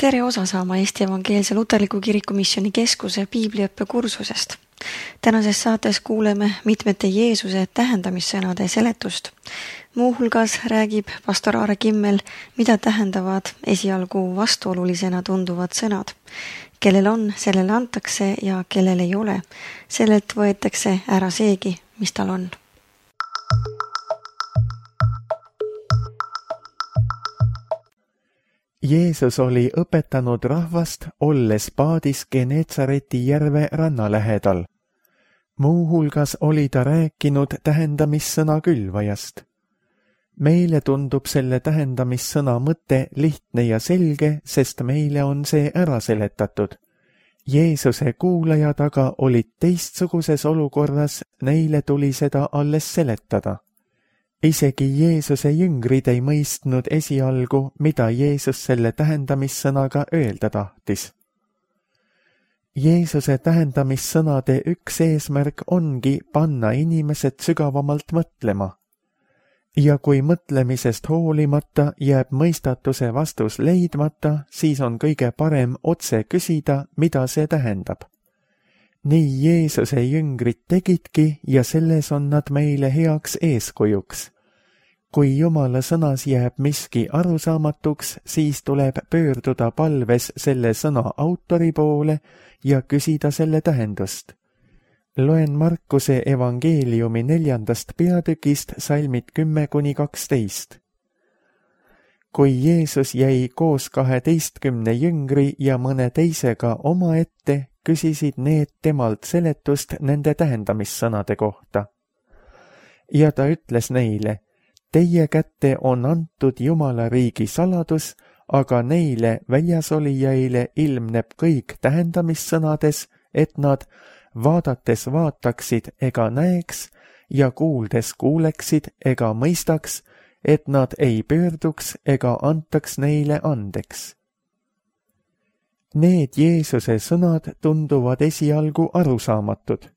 Tere osa saama Eesti Evangeelse Luterliku Kiriku Missiooni Keskuse piibliõppe kursusest. Tänases saates kuuleme mitmete Jeesuse tähendamissõnade seletust. Muuhulgas räägib pastor Aare Kimmel, mida tähendavad esialgu vastuolulisena tunduvad sõnad. Kellel on, sellele antakse ja kellel ei ole. Sellelt võetakse ära seegi, mis tal on. Jeesus oli õpetanud rahvast, olles paadis Geneetsareti järve ranna lähedal. Muuhulgas oli ta rääkinud tähendamissõna külvajast. Meile tundub selle tähendamissõna mõte lihtne ja selge, sest meile on see ära seletatud. Jeesuse kuulajad aga olid teistsuguses olukorras, neile tuli seda alles seletada. Isegi Jeesuse jüngrid ei mõistnud esialgu, mida Jeesus selle tähendamissõnaga öelda tahtis. Jeesuse tähendamissõnade üks eesmärk ongi panna inimesed sügavamalt mõtlema. Ja kui mõtlemisest hoolimata jääb mõistatuse vastus leidmata, siis on kõige parem otse küsida, mida see tähendab. Nii Jeesuse jüngrid tegidki ja selles on nad meile heaks eeskujuks. Kui Jumala sõnas jääb miski arusaamatuks, siis tuleb pöörduda palves selle sõna autori poole ja küsida selle tähendust. Loen Markuse evangeeliumi 4. peatükist salmid 10-12. Kui Jeesus jäi koos 12 jüngri ja mõne teisega omaette, küsisid need temalt seletust nende tähendamissõnade kohta. Ja ta ütles neile, teie kätte on antud Jumala riigi saladus, aga neile väljasolijaile ilmneb kõik tähendamissõnades, et nad vaadates vaataksid ega näeks ja kuuldes kuuleksid ega mõistaks, et nad ei pöörduks ega antaks neile andeks. Need Jeesuse sõnad tunduvad esialgu arusaamatud.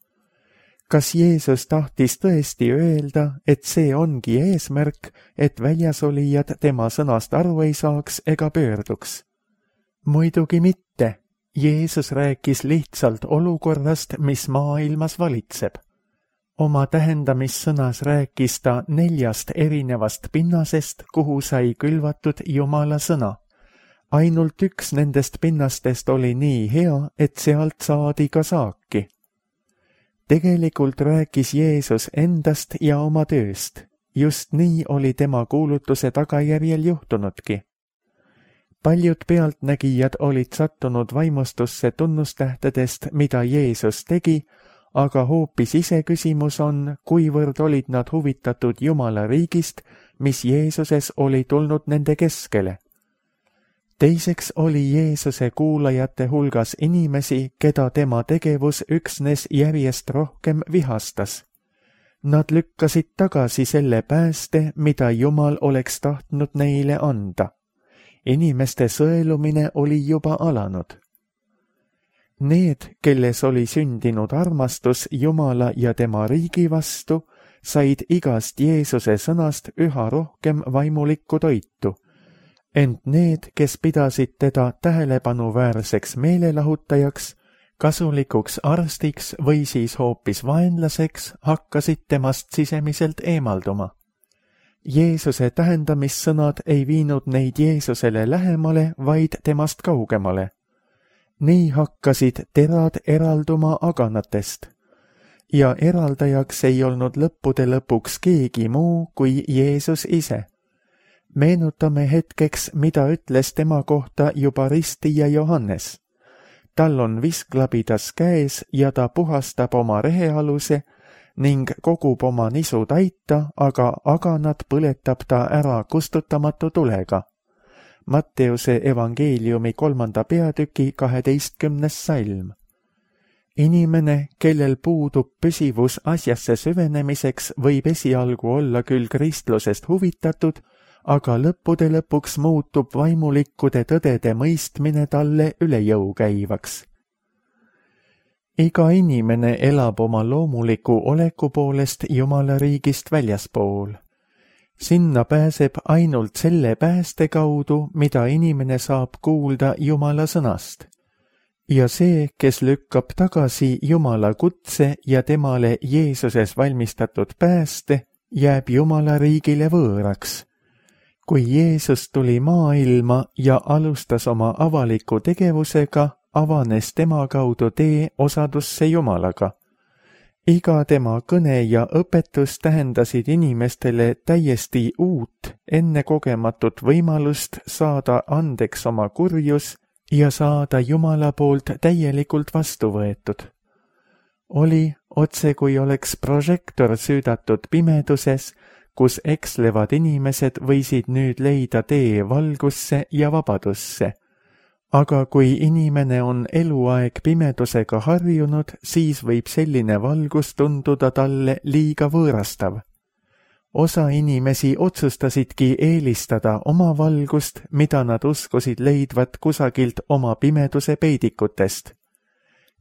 Kas Jeesus tahtis tõesti öelda, et see ongi eesmärk, et väljasolijad tema sõnast aru ei saaks ega pöörduks? Muidugi mitte. Jeesus rääkis lihtsalt olukorrast, mis maailmas valitseb. Oma tähendamissõnas rääkis ta 4 erinevast pinnasest, kuhu sai külvatud Jumala sõna. Ainult üks nendest pinnastest oli nii hea, et sealt saadi ka saaki. Tegelikult rääkis Jeesus endast ja oma tööst. Just nii oli tema kuulutuse tagajärjel juhtunudki. Paljud pealtnägijad olid sattunud vaimustusse tunnustähtedest, mida Jeesus tegi, aga hoopis iseküsimus on, kuivõrd olid nad huvitatud Jumala riigist, mis Jeesuses oli tulnud nende keskele. Teiseks oli Jeesuse kuulajate hulgas inimesi, keda tema tegevus üksnes järjest rohkem vihastas. Nad lükkasid tagasi selle pääste, mida Jumal oleks tahtnud neile anda. Inimeste sõelumine oli juba alanud. Need, kelles oli sündinud armastus Jumala ja tema riigi vastu, said igast Jeesuse sõnast üha rohkem vaimulikku toitu. Ent need, kes pidasid teda tähelepanuväärseks meelelahutajaks, kasulikuks arstiks või siis hoopis vaenlaseks, hakkasid temast sisemiselt eemalduma. Jeesuse tähendamissõnad ei viinud neid Jeesusele lähemale, vaid temast kaugemale. Nii hakkasid terad eralduma aganatest. Ja eraldajaks ei olnud lõppude lõpuks keegi muu kui Jeesus ise. Meenutame hetkeks, mida ütles tema kohta juba ristija Johannes. Tal on visklabidas käes ja ta puhastab oma rehealuse ning kogub oma nisu taita, aga aganat põletab ta ära kustutamatu tulega. Matteuse evangeeliumi 3. peatüki 12. salm. Inimene, kellel puudub püsivus asjasse süvenemiseks, võib esialgu olla küll kristlusest huvitatud, aga lõppude lõpuks muutub vaimulikkude tõdede mõistmine talle üle jõu käivaks. Iga inimene elab oma loomuliku oleku poolest Jumala riigist väljaspool. Sinna pääseb ainult selle pääste kaudu, mida inimene saab kuulda Jumala sõnast. Ja see, kes lükkab tagasi Jumala kutse ja temale Jeesuses valmistatud pääste, jääb Jumala riigile võõraks. Kui Jeesus tuli maailma ja alustas oma avaliku tegevusega, avanes tema kaudu tee osadusse Jumalaga. Iga tema kõne ja õpetus tähendasid inimestele täiesti uut, ennekogematut võimalust saada andeks oma kurjus ja saada Jumala poolt täielikult vastu võetud. Oli otse kui oleks prožektor süüdatud pimeduses, kus ekslevad inimesed võisid nüüd leida tee valgusse ja vabadusse. Aga kui inimene on eluaeg pimedusega harjunud, siis võib selline valgus tunduda talle liiga võõrastav. Osa inimesi otsustasidki eelistada oma valgust, mida nad uskusid leidvat kusagilt oma pimeduse peidikutest.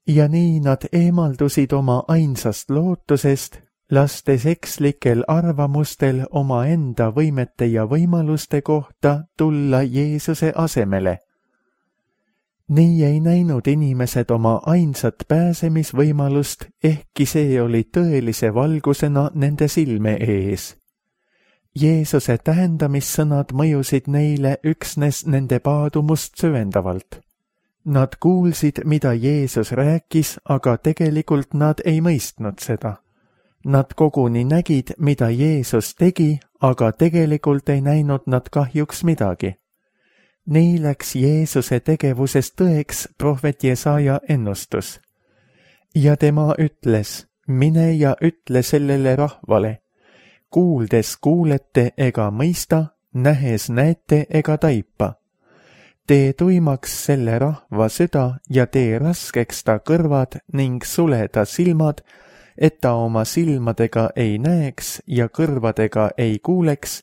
Ja nii nad eemaldusid oma ainsast lootusest, lastes ekslikel arvamustel omaenda võimete ja võimaluste kohta tulla Jeesuse asemele. Nii ei näinud inimesed oma ainsat pääsemisvõimalust, ehkki see oli tõelise valgusena nende silme ees. Jeesuse tähendamissõnad mõjusid neile üksnes nende paadumust süvendavalt. Nad kuulsid, mida Jeesus rääkis, aga tegelikult nad ei mõistnud seda. Nad koguni nägid, mida Jeesus tegi, aga tegelikult ei näinud nad kahjuks midagi. Nii läks Jeesuse tegevusest tõeks prohvet Jesaja ennustus. Ja tema ütles, mine ja ütle sellele rahvale, kuuldes kuulete ega mõista, nähes näete ega taipa. Tee tuimaks selle rahva süda ja tee raskeks ta kõrvad ning sule ta silmad, et ta oma silmadega ei näeks ja kõrvadega ei kuuleks,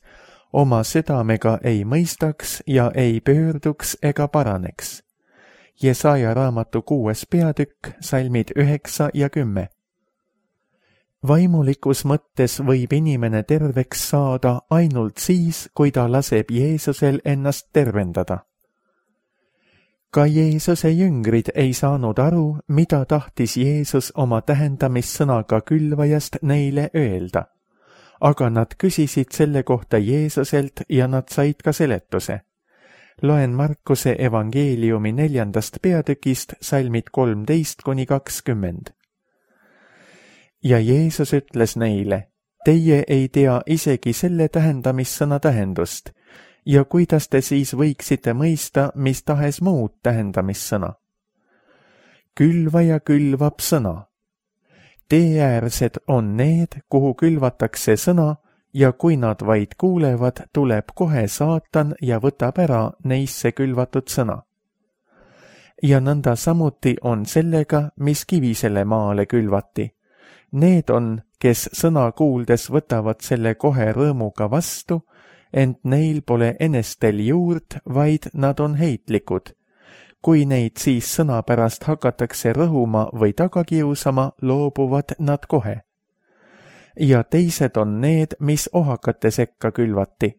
oma südamega ei mõistaks ja ei pöörduks ega paraneks. Jesaja raamatu 6. peatükk, salmid 9 ja 10. Vaimulikus mõttes võib inimene terveks saada ainult siis, kui ta laseb Jeesusel ennast tervendada. Ka Jeesuse jüngrid ei saanud aru, mida tahtis Jeesus oma tähendamissõnaga külvajast neile öelda. Aga nad küsisid selle kohta Jeesuselt ja nad said ka seletuse. Loen Markuse evangeeliumi 4. peatükist, salmid 13–20. Ja Jeesus ütles neile, teie ei tea isegi selle tähendamissõna tähendust, ja kuidas te siis võiksite mõista mis tahes muud tähendamissõna? Külvaja külvab sõna. Teeäärsed on need, kuhu külvatakse sõna, ja kui nad vaid kuulevad, tuleb kohe saatan ja võtab ära neisse külvatud sõna. Ja nõnda samuti on sellega, mis kivisele maale külvati. Need on, kes sõna kuuldes võtavad selle kohe rõõmuga vastu, ent neil pole enestel juurt, vaid nad on heitlikud. Kui neid siis sõna pärast hakatakse rõhuma või tagakiusama, loobuvad nad kohe. Ja teised on need, mis ohakate sekka külvati.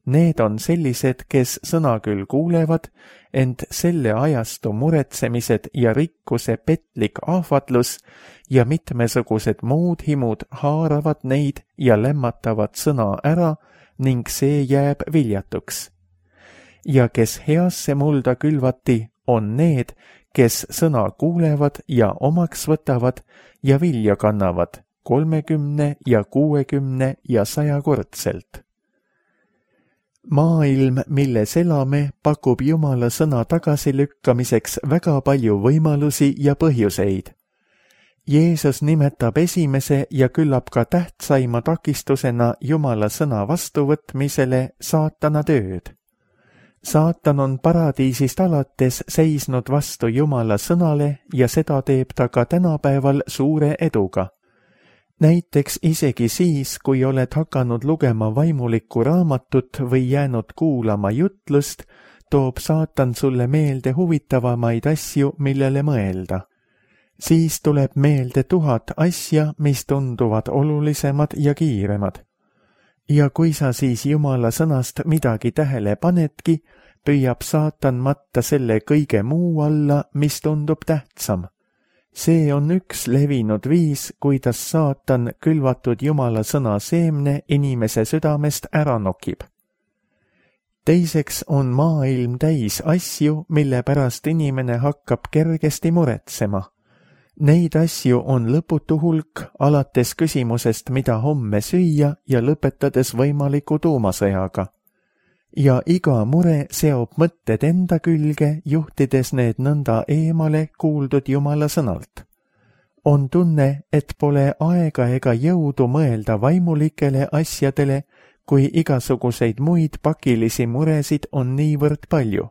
Need on sellised, kes sõna küll kuulevad, ent selle ajastu muretsemised ja rikkuse petlik ahvatlus ja mitmesugused muud himud haaravad neid ja lämmatavad sõna ära ning see jääb viljatuks. Ja kes heasse mulda külvati, on need, kes sõna kuulevad ja omaks võtavad ja vilja kannavad 30 ja 60 ja 100-kordselt. Maailm, milles elame, pakub Jumala sõna tagasilükkamiseks väga palju võimalusi ja põhjuseid. Jeesus nimetab esimese ja küllap ka tähtsaima takistusena Jumala sõna vastuvõtmisele saatana tööd. Saatan on paradiisist alates seisnud vastu Jumala sõnale ja seda teeb ta ka tänapäeval suure eduga. Näiteks isegi siis, kui oled hakanud lugema vaimulikku raamatut või jäänud kuulama jutlust, toob saatan sulle meelde huvitavamaid asju, millele mõelda. Siis tuleb meelde 1000 asja, mis tunduvad olulisemad ja kiiremad. Ja kui sa siis Jumala sõnast midagi tähele panedki, püüab saatan matta selle kõige muu alla, mis tundub tähtsam. See on üks levinud viis, kuidas saatan külvatud Jumala sõna seemne inimese südamest ära nokib. Teiseks on maailm täis asju, mille pärast inimene hakkab kergesti muretsema. Neid asju on lõputu hulk, alates küsimusest, mida homme süüa ja lõpetades võimaliku tuumasõjaga. Ja iga mure seob mõtted enda külge, juhtides need nõnda eemale kuuldud Jumala sõnalt. On tunne, et pole aega ega jõudu mõelda vaimulikele asjadele, kui igasuguseid muid pakilisi muresid on niivõrd palju.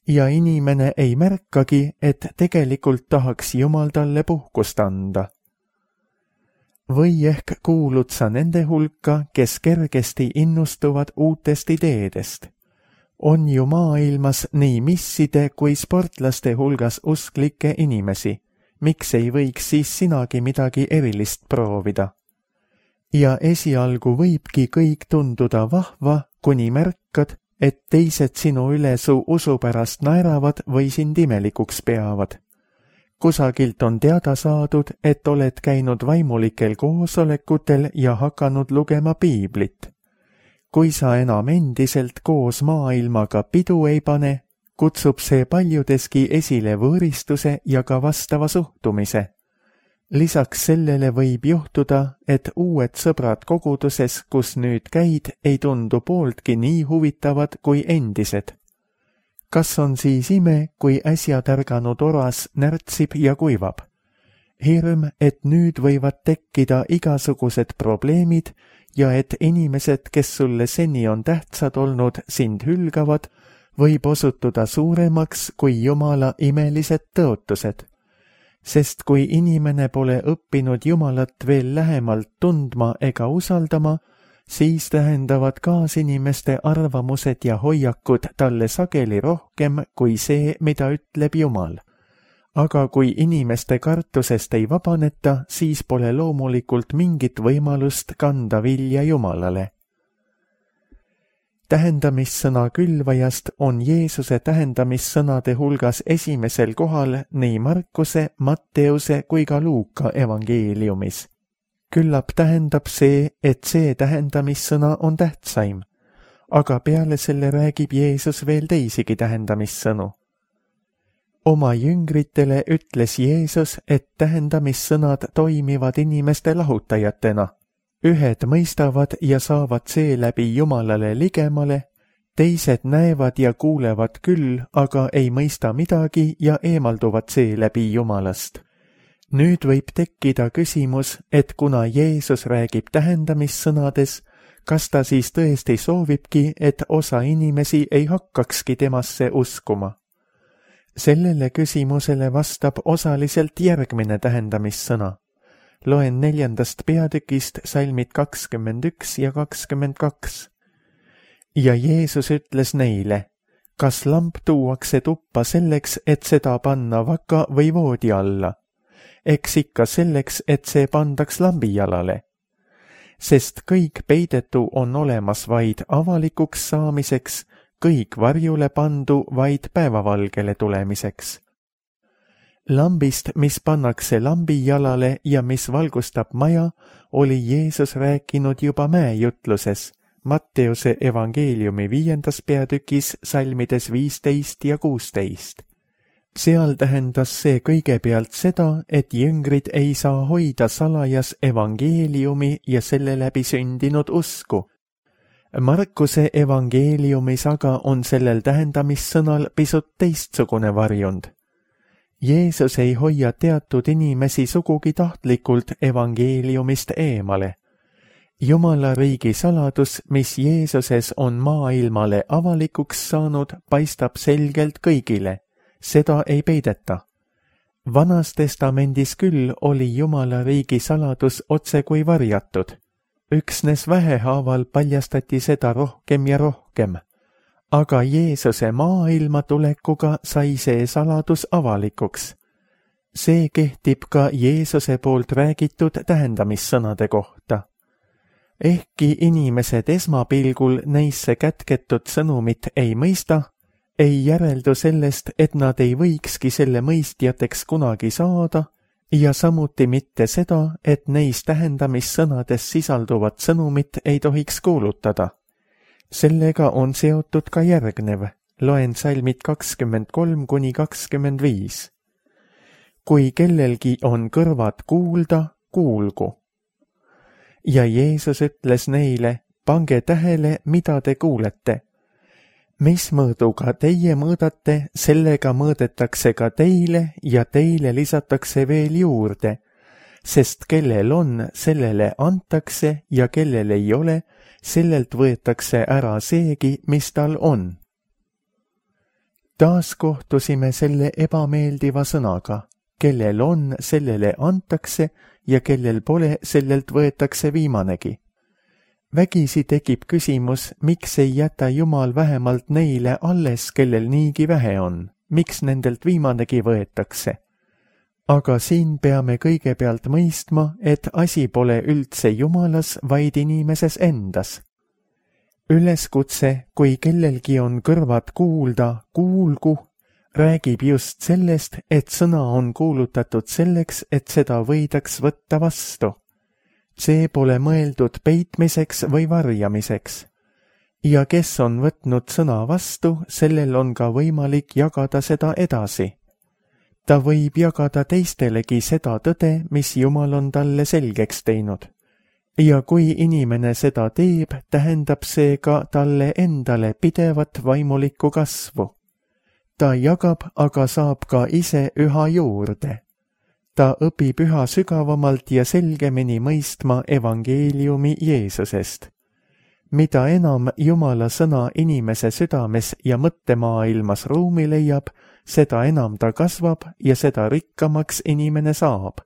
Ja inimene ei märkagi, et tegelikult tahaks Jumal talle puhkust anda. Või ehk kuulud sa nende hulka, kes kergesti innustuvad uutest ideedest. On ju maailmas nii misside kui sportlaste hulgas usklikke inimesi. Miks ei võiks siis sinagi midagi erilist proovida? Ja esialgu võibki kõik tunduda vahva, kuni märkad, et teised sinu üle su usu pärast naeravad või sind imelikuks peavad. Kusagilt on teada saadud, et oled käinud vaimulikel koosolekutel ja hakanud lugema piiblit. Kui sa enam endiselt koos maailmaga pidu ei pane, kutsub see paljudeski esile võõristuse ja ka vastava suhtumise. Lisaks sellele võib juhtuda, et uued sõbrad koguduses, kus nüüd käid, ei tundu pooltki nii huvitavad kui endised. Kas on siis ime, kui äsja tärganud oras närtsib ja kuivab? Hirm, et nüüd võivad tekkida igasugused probleemid ja et inimesed, kes sulle seni on tähtsad olnud, sind hülgavad, võib osutuda suuremaks kui Jumala imelised tõotused. Sest kui inimene pole õppinud Jumalat veel lähemalt tundma ega usaldama, siis tähendavad kaasinimeste arvamused ja hoiakud talle sageli rohkem kui see, mida ütleb Jumal. Aga kui inimeste kartusest ei vabaneta, siis pole loomulikult mingit võimalust kanda vilja Jumalale. Tähendamissõna külvajast on Jeesuse tähendamissõnade hulgas esimesel kohal nii Markuse, Matteuse kui ka Luuka evangeeliumis. Küllap tähendab see, et see tähendamissõna on tähtsaim, aga peale selle räägib Jeesus veel teisigi tähendamissõnu. Oma jüngritele ütles Jeesus, et tähendamissõnad toimivad inimeste lahutajatena. Ühed mõistavad ja saavad seeläbi Jumalale ligemale, teised näevad ja kuulevad küll, aga ei mõista midagi ja eemalduvad seeläbi Jumalast. Nüüd võib tekkida küsimus, et kuna Jeesus räägib tähendamissõnades, kas ta siis tõesti soovibki, et osa inimesi ei hakkakski temasse uskuma? Sellele küsimusele vastab osaliselt järgmine tähendamissõna. Loen 4. peatükist salmid 21 ja 22. Ja Jeesus ütles neile, kas lamp tuuakse tuppa selleks, et seda panna vaka või voodi alla? Eks ikka selleks, et see pandaks lambijalale. Sest kõik peidetu on olemas vaid avalikuks saamiseks, kõik varjule pandu vaid päevavalgele tulemiseks. Lambist, mis pannakse lambijalale ja mis valgustab maja, oli Jeesus rääkinud juba mäejutluses, Matteuse evangeeliumi 5. peatükis salmides 15 ja 16. Seal tähendas see kõigepealt seda, et jüngrid ei saa hoida salajas evangeeliumi ja selle läbi sündinud usku. Markuse evangeeliumis aga on sellel tähendamissõnal pisut teistsugune varjund. Jeesus ei hoia teatud inimesi sugugi tahtlikult evangeeliumist eemale. Jumala riigi saladus, mis Jeesuses on maailmale avalikuks saanud, paistab selgelt kõigile. Seda ei peideta. Vanas testamendis küll oli Jumala riigi saladus otse kui varjatud. Üksnes vähehaaval paljastati seda rohkem ja rohkem. Aga Jeesuse maailma tulekuga sai see saladus avalikuks. See kehtib ka Jeesuse poolt räägitud tähendamissõnade kohta. Ehkki inimesed esmapilgul neisse kätketud sõnumit ei mõista, ei järeldu sellest, et nad ei võikski selle mõistjateks kunagi saada ja samuti mitte seda, et neis tähendamissõnades sisalduvat sõnumit ei tohiks kuulutada. Sellega on seotud ka järgnev, loen salmid 23–25. Kui kellelgi on kõrvad kuulda, kuulgu. Ja Jeesus ütles neile, pange tähele, mida te kuulete. Mis mõõduga teie mõõdate, sellega mõõdetakse ka teile ja teile lisatakse veel juurde, sest kellel on, sellele antakse ja kellel ei ole, sellelt võetakse ära seegi, mis tal on. Taas kohtusime selle ebameeldiva sõnaga, kellel on, sellele antakse ja kellel pole, sellelt võetakse viimanegi. Vägisi tekib küsimus, miks ei jäta Jumal vähemalt neile alles, kellel niigi vähe on, miks nendelt viimanegi võetakse. Aga siin peame kõigepealt mõistma, et asi pole üldse Jumalas, vaid inimeses endas. Üleskutse, kui kellelgi on kõrvad kuulda, kuulgu, räägib just sellest, et sõna on kuulutatud selleks, et seda võidaks võtta vastu. See pole mõeldud peitmiseks või varjamiseks. Ja kes on võtnud sõna vastu, sellel on ka võimalik jagada seda edasi. Ta võib jagada teistelegi seda tõde, mis Jumal on talle selgeks teinud. Ja kui inimene seda teeb, tähendab see ka talle endale pidevat vaimulikku kasvu. Ta jagab, aga saab ka ise üha juurde. Ta õpib üha sügavamalt ja selgemini mõistma evangeeliumi Jeesusest. Mida enam Jumala sõna inimese südames ja mõttemaailmas ruumi leiab, seda enam ta kasvab ja seda rikkamaks inimene saab.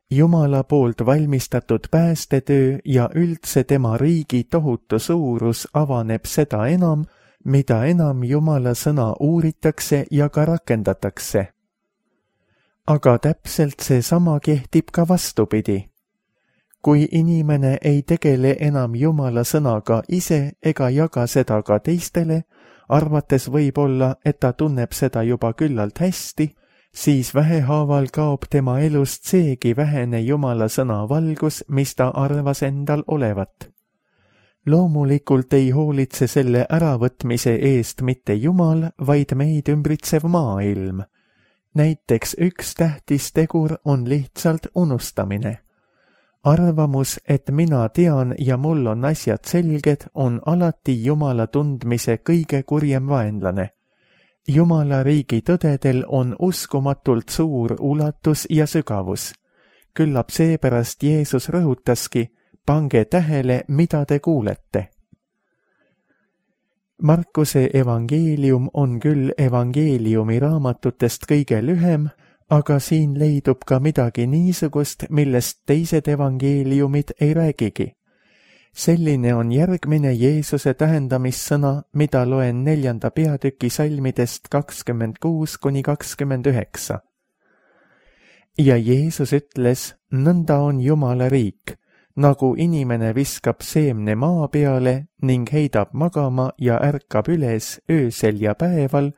Jumala poolt valmistatud päästetöö ja üldse tema riigi tohutu suurus avaneb seda enam, mida enam Jumala sõna uuritakse ja ka rakendatakse. Aga täpselt seesama kehtib ka vastupidi. Kui inimene ei tegele enam Jumala sõnaga ise ega jaga seda ka teistele, arvates võib-olla, et ta tunneb seda juba küllalt hästi, siis vähehaaval kaob tema elust seegi vähene Jumala sõna valgus, mis ta arvas endal olevat. Loomulikult ei hoolitse selle äravõtmise eest mitte Jumal, vaid meid ümbritsev maailm. Näiteks üks tähtis tegur on lihtsalt unustamine. Arvamus, et mina tean ja mul on asjad selged, on alati Jumala tundmise kõige kurjem vaenlane. Jumala riigi tõdedel on uskumatult suur ulatus ja sügavus. Küllap seepärast Jeesus rõhutaski, pange tähele, mida te kuulete. Markuse evangeelium on küll evangeeliumi raamatutest kõige lühem, aga siin leidub ka midagi niisugust, millest teised evangeeliumid ei räägigi. Selline on järgmine Jeesuse tähendamissõna, mida loen 4. peatüki salmidest 26–29. Ja Jeesus ütles, nõnda on Jumala riik, nagu inimene viskab seemne maa peale ning heidab magama ja ärkab üles öösel ja päeval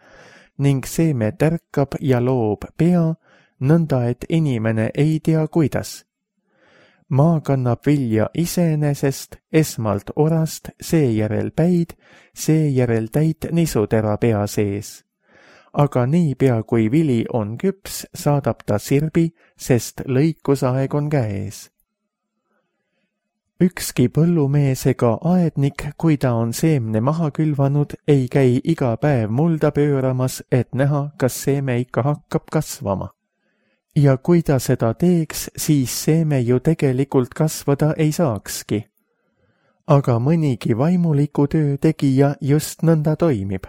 ning seeme tärkab ja loob pea, nõnda et inimene ei tea kuidas. Maa kannab vilja iseenesest, esmalt orast, seejärel päid, seejärel täit nisutera pea sees. Aga niipea kui vili on küps, saadab ta sirbi, sest lõikusaeg on käes. Ükski põllumees ega aednik, kui ta on seemne maha külvanud, ei käi iga päev mulda pööramas, et näha, kas seeme ikka hakkab kasvama. Ja kui ta seda teeks, siis seeme ju tegelikult kasvada ei saakski. Aga mõnigi vaimuliku töö tegija just nõnda toimib.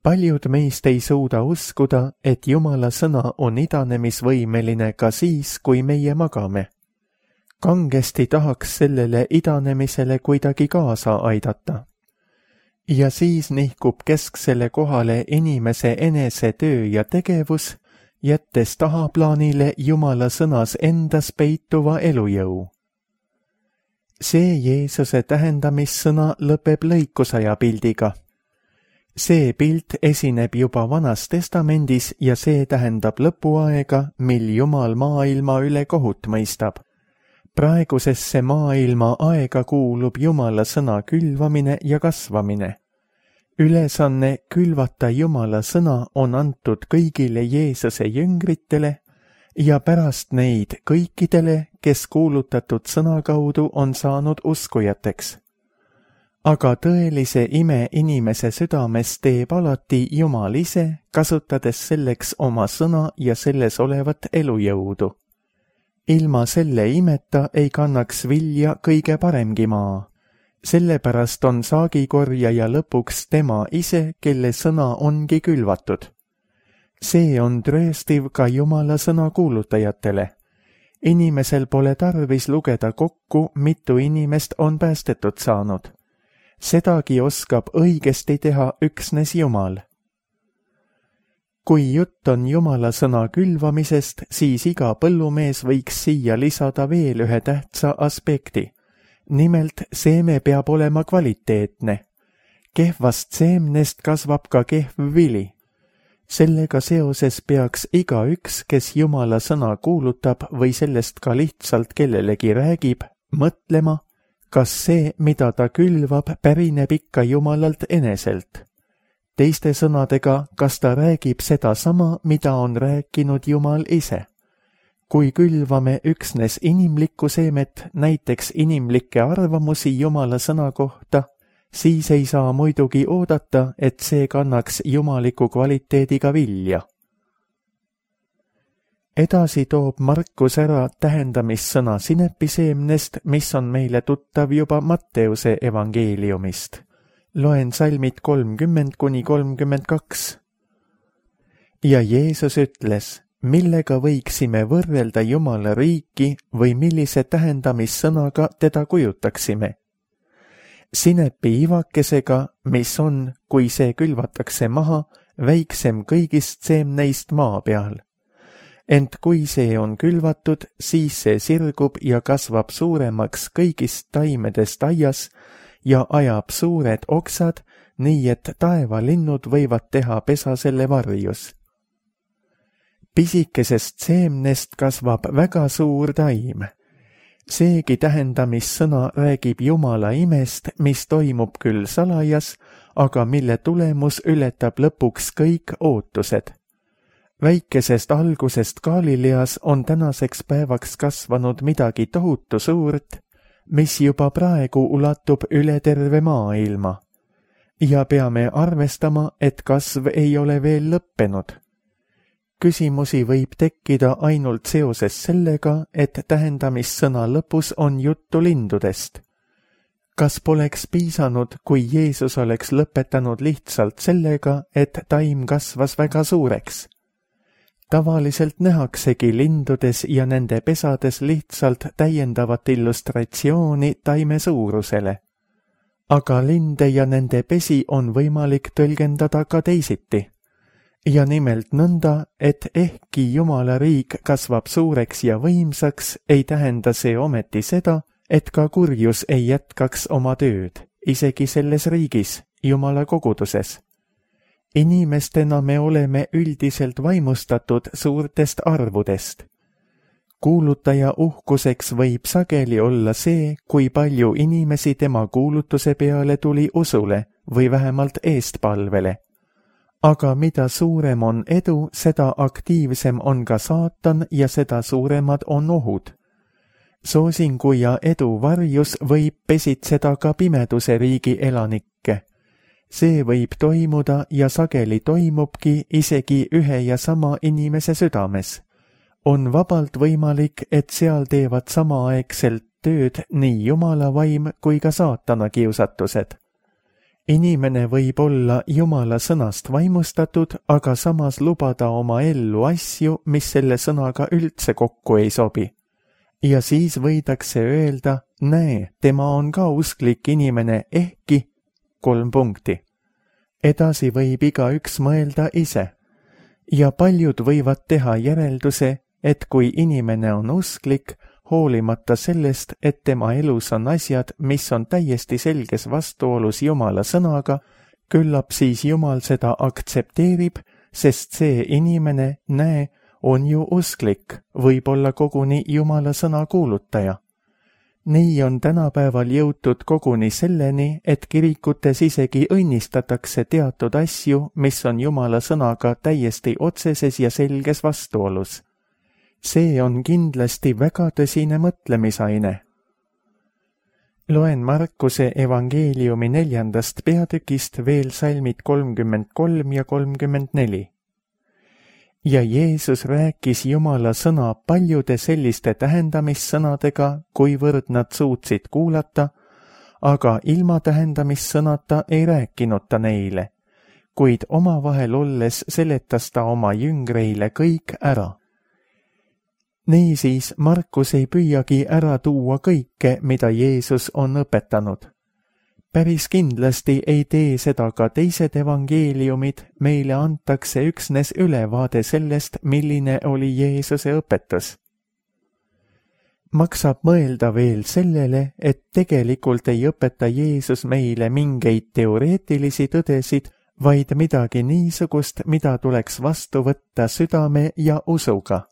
Paljud meist ei suuda uskuda, et Jumala sõna on idanemisvõimeline ka siis, kui meie magame. Kangesti tahaks sellele idanemisele kuidagi kaasa aidata. Ja siis nihkub kesksele kohale inimese enese töö ja tegevus, jättes tahaplaanile Jumala sõnas endas peituva elujõu. See Jeesuse tähendamissõna lõpeb lõikusaja pildiga. See pilt esineb juba Vanas Testamendis ja see tähendab lõpuaega, mil Jumal maailma üle kohut mõistab. Praegusesse maailma aega kuulub Jumala sõna külvamine ja kasvamine. Ülesanne külvata Jumala sõna on antud kõigile Jeesuse jüngritele ja pärast neid kõikidele, kes kuulutatud sõna kaudu on saanud uskujateks. Aga tõelise ime inimese südames teeb alati Jumal ise, kasutades selleks oma sõna ja selles olevat elujõudu. Ilma selle imeta ei kannaks vilja kõige paremgi maa. Sellepärast on saagikorjaja lõpuks tema ise, kelle sõna ongi külvatud. See on trööstiv ka Jumala sõna kuulutajatele. Inimesel pole tarvis lugeda kokku, mitu inimest on päästetud saanud. Sedagi oskab õigesti teha üksnes Jumal. Kui jutt on Jumala sõna külvamisest, siis iga põllumees võiks siia lisada veel ühe tähtsa aspekti. Nimelt, seeme peab olema kvaliteetne. Kehvast seemnest kasvab ka kehv vili. Sellega seoses peaks igaüks, kes Jumala sõna kuulutab või sellest ka lihtsalt kellelegi räägib, mõtlema, kas see, mida ta külvab, pärineb ikka Jumalalt eneselt. Teiste sõnadega, kas ta räägib sedasama, mida on rääkinud Jumal ise. Kui külvame üksnes inimlikku seemet, näiteks inimlikke arvamusi Jumala sõna kohta, siis ei saa muidugi oodata, et see kannaks jumaliku kvaliteediga vilja. Edasi toob Markus ära tähendamissõna sinepiseemnest, mis on meile tuttav juba Matteuse evangeeliumist. Loen salmid 30–32. Ja Jeesus ütles, millega võiksime võrrelda Jumala riiki või millise tähendamissõnaga teda kujutaksime. Sinepi ivakesega, mis on, kui see külvatakse maha, väiksem kõigist seemneist maa peal. Ent kui see on külvatud, siis see sirgub ja kasvab suuremaks kõigist taimedest aias ja ajab suured oksad, nii et taevalinnud võivad teha pesa selle varjus. Pisikesest seemnest kasvab väga suur taim. Seegi tähendamissõna räägib Jumala imest, mis toimub küll salajas, aga mille tulemus ületab lõpuks kõik ootused. Väikesest algusest Galileas on tänaseks päevaks kasvanud midagi tohutu suurt, mis juba praegu ulatub üle terve maailma. Ja peame arvestama, et kasv ei ole veel lõppenud. Küsimusi võib tekkida ainult seoses sellega, et tähendamissõna lõpus on juttu lindudest. Kas poleks piisanud, kui Jeesus oleks lõpetanud lihtsalt sellega, et taim kasvas väga suureks? Tavaliselt nähaksegi lindudes ja nende pesades lihtsalt täiendavat illustratsiooni taime suurusele. Aga linde ja nende pesi on võimalik tõlgendada ka teisiti. Ja nimelt nõnda, et ehkki Jumala riik kasvab suureks ja võimsaks, ei tähenda see ometi seda, et ka kurjus ei jätkaks oma tööd, isegi selles riigis, Jumala koguduses. Inimestena me oleme üldiselt vaimustatud suurtest arvudest. Kuulutaja uhkuseks võib sageli olla see, kui palju inimesi tema kuulutuse peale tuli usule või vähemalt eestpalvele. Aga mida suurem on edu, seda aktiivsem on ka saatan ja seda suuremad on ohud. Soosingu ja edu varjus võib pesitseda ka pimeduse riigi elanikke. See võib toimuda ja sageli toimubki isegi ühe ja sama inimese südames. On vabalt võimalik, et seal teevad samaaegselt tööd nii Jumala vaim kui ka saatana kiusatused. Inimene võib olla Jumala sõnast vaimustatud, aga samas lubada oma ellu asju, mis selle sõnaga üldse kokku ei sobi. Ja siis võidakse öelda, näe, tema on ka usklik inimene, ehkki 3 punkti. Edasi võib igaüks mõelda ise. Ja paljud võivad teha järelduse, et kui inimene on usklik, hoolimata sellest, et tema elus on asjad, mis on täiesti selges vastuolus Jumala sõnaga, küllap siis Jumal seda aktsepteerib, sest see inimene, näe, on ju usklik, võib-olla koguni Jumala sõna kuulutaja. Nii on tänapäeval jõutud koguni selleni, et kirikutes isegi õnnistatakse teatud asju, mis on Jumala sõnaga täiesti otseses ja selges vastuolus. See on kindlasti väga tõsine mõtlemisaine. Loen Markuse evangeeliumi 4. peatükist veel salmid 33 ja 34. Ja Jeesus rääkis Jumala sõna paljude selliste tähendamissõnadega, kuivõrd nad suutsid kuulata, aga ilma tähendamissõnata ei rääkinud ta neile, kuid omavahel olles seletas ta oma jüngreile kõik ära. Niisiis Markus ei püüagi ära tuua kõike, mida Jeesus on õpetanud. Päris kindlasti ei tee seda ka teised evangeeliumid, meile antakse üksnes ülevaade sellest, milline oli Jeesuse õpetus. Maksab mõelda veel sellele, et tegelikult ei õpeta Jeesus meile mingeid teoreetilisi tõdesid, vaid midagi niisugust, mida tuleks vastu võtta südame ja usuga.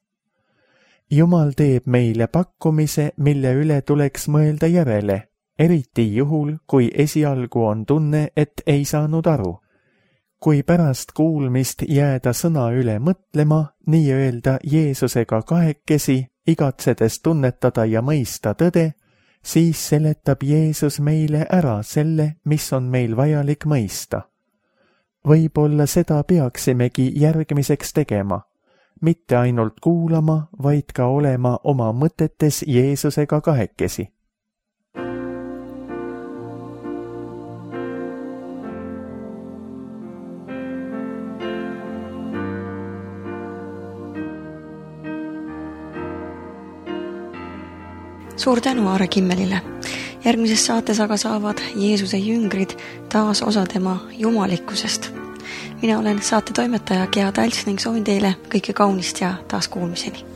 Jumal teeb meile pakkumise, mille üle tuleks mõelda järele, eriti juhul, kui esialgu on tunne, et ei saanud aru. Kui pärast kuulmist jääda sõna üle mõtlema, nii-öelda Jeesusega kahekesi, igatsedes tunnetada ja mõista tõde, siis seletab Jeesus meile ära selle, mis on meil vajalik mõista. Võib-olla seda peaksimegi järgmiseks tegema, mitte ainult kuulama, vaid ka olema oma mõtetes Jeesusega kahekesi. Suur tänu Aare Kimmelile. Järgmises saates aga saavad Jeesuse jüngrid taas osa tema jumalikkusest. Mina olen saate toimetaja Gea Talts ning soovin teile kõike kaunist ja taas kuulmiseni.